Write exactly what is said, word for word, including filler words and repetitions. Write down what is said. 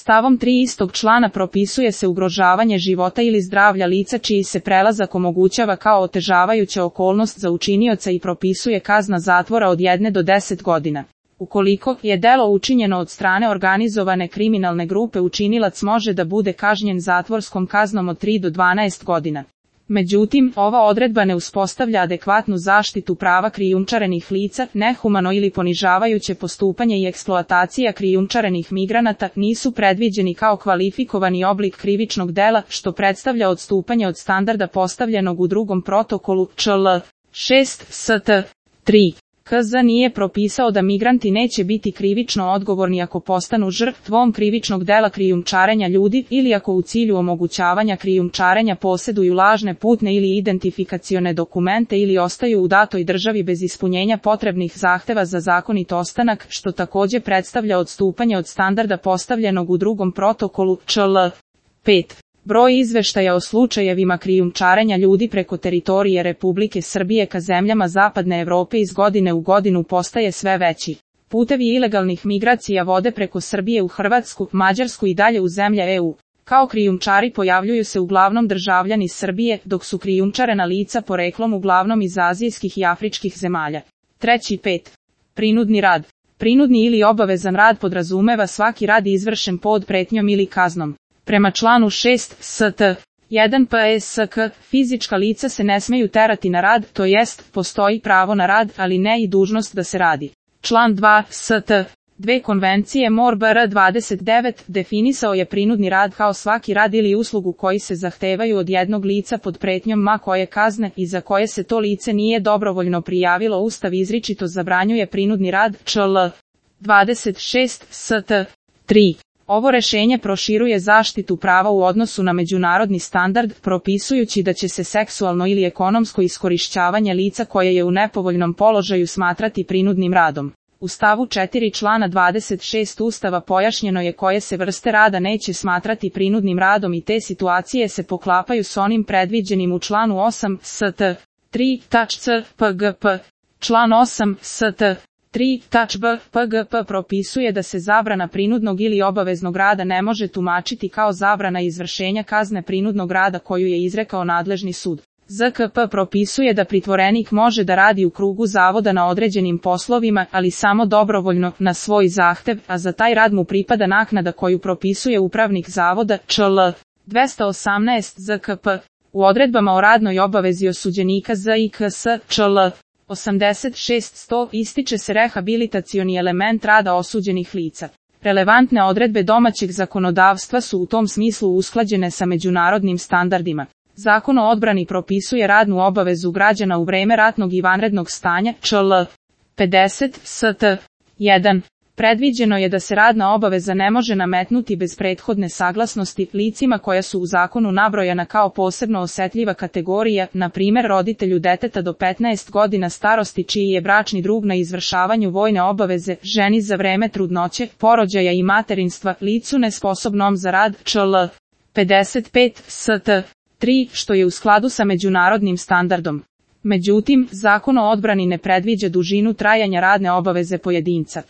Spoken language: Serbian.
Stavom tri istog člana propisuje se ugrožavanje života ili zdravlja lica čiji se prelazak omogućava kao otežavajuća okolnost za učinioca i propisuje kazna zatvora od jedne do deset godina. Ukoliko je delo učinjeno od strane organizovane kriminalne grupe, učinilac može da bude kažnjen zatvorskom kaznom od tri do dvanaest godina. Međutim, ova odredba ne uspostavlja adekvatnu zaštitu prava krijumčarenih lica, nehumano ili ponižavajuće postupanje i eksploatacija krijumčarenih migranata nisu predviđeni kao kvalifikovani oblik krivičnog dela, što predstavlja odstupanje od standarda postavljenog u drugom protokolu Č L šest S T tri. K Z nije propisao da migranti neće biti krivično odgovorni ako postanu žrtvom krivičnog dela krijumčarenja ljudi ili ako u cilju omogućavanja krijumčarenja posjeduju lažne putne ili identifikacione dokumente ili ostaju u datoj državi bez ispunjenja potrebnih zahteva za zakonit ostanak, što također predstavlja odstupanje od standarda postavljenog u drugom protokolu Č L pet. Broj izveštaja o slučajevima krijumčarenja ljudi preko teritorije Republike Srbije ka zemljama Zapadne Evrope iz godine u godinu postaje sve veći. Putevi ilegalnih migracija vode preko Srbije u Hrvatsku, Mađarsku i dalje u zemlje E U. Kao krijumčari pojavljuju se uglavnom državljani Srbije, dok su krijumčarena lica poreklom uglavnom iz azijskih i afričkih zemalja. Treći pet. Prinudni rad. Prinudni ili obavezan rad podrazumeva svaki rad izvršen pod pretnjom ili kaznom. Prema članu šest S T jedan P S K, fizička lica se ne smeju terati na rad, to jest, postoji pravo na rad, ali ne i dužnost da se radi. Član dva S T dve Konvencije M O R B R dvadeset devet definisao je prinudni rad kao svaki rad ili uslugu koji se zahtevaju od jednog lica pod pretnjom ma koje kazne i za koje se to lice nije dobrovoljno prijavilo. Ustav izričito zabranjuje prinudni rad. Č L dvadeset šest S T tri. Ovo rešenje proširuje zaštitu prava u odnosu na međunarodni standard, propisujući da će se seksualno ili ekonomsko iskorišćavanje lica koje je u nepovoljnom položaju smatrati prinudnim radom. U stavu četiri člana dvadeset šest Ustava pojašnjeno je koje se vrste rada neće smatrati prinudnim radom i te situacije se poklapaju s onim predviđenim u članu osam S T tri C P G P. Član osam S T tri B P G P propisuje da se zabrana prinudnog ili obaveznog rada ne može tumačiti kao zabrana izvršenja kazne prinudnog rada koju je izrekao nadležni sud. Z K P propisuje da pritvorenik može da radi u krugu zavoda na određenim poslovima, ali samo dobrovoljno, na svoj zahtev, a za taj rad mu pripada naknada koju propisuje upravnik zavoda. Č L dvesta osamnaest Z K P. U odredbama o radnoj obavezi osuđenika Z I K S Č L osamdeset šest sto ističe se rehabilitacioni element rada osuđenih lica. Relevantne odredbe domaćeg zakonodavstva su u tom smislu usklađene sa međunarodnim standardima. Zakon o odbrani propisuje radnu obavezu građana u vreme ratnog i vanrednog stanja. Č L pedeset S T jedan. Predviđeno je da se radna obaveza ne može nametnuti bez prethodne saglasnosti licima koja su u zakonu nabrojana kao posebno osetljiva kategorija, na primjer roditelju deteta do petnaest godina starosti čiji je bračni drug na izvršavanju vojne obaveze, ženi za vreme trudnoće, porođaja i materinstva, licu nesposobnom za rad. Č L pedeset pet S T tri, što je u skladu sa međunarodnim standardom. Međutim, Zakon o odbrani ne predviđa dužinu trajanja radne obaveze pojedinca.